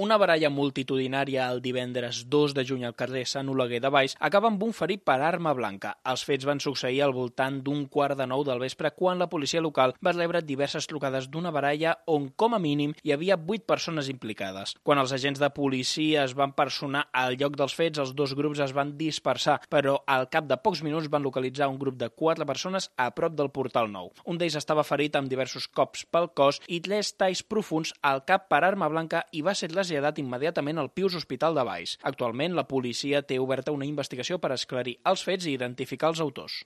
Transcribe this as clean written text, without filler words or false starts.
Una baralla multitudinària el divendres 2 de juny al carrer Sant Oleguer de Valls acaba amb un ferit per arma blanca. Els fets van succeir al voltant d'un 8:15 del vespre quan la policia local va rebre diverses trucades d'una baralla on, com a mínim, hi havia 8 persones implicades. Quan els agents de policia es van personar al lloc dels fets, els dos grups es van dispersar, però al cap de pocs minuts van localitzar un grup de 4 persones a prop del Portal Nou. Un d'ells estava ferit amb diversos cops pel cos i 3 talls profunds al cap per arma blanca i va ser traslladat immediatament al Pius Hospital de Valls. Actualment, la policia té oberta una investigació per esclarir els fets i identificar els autors.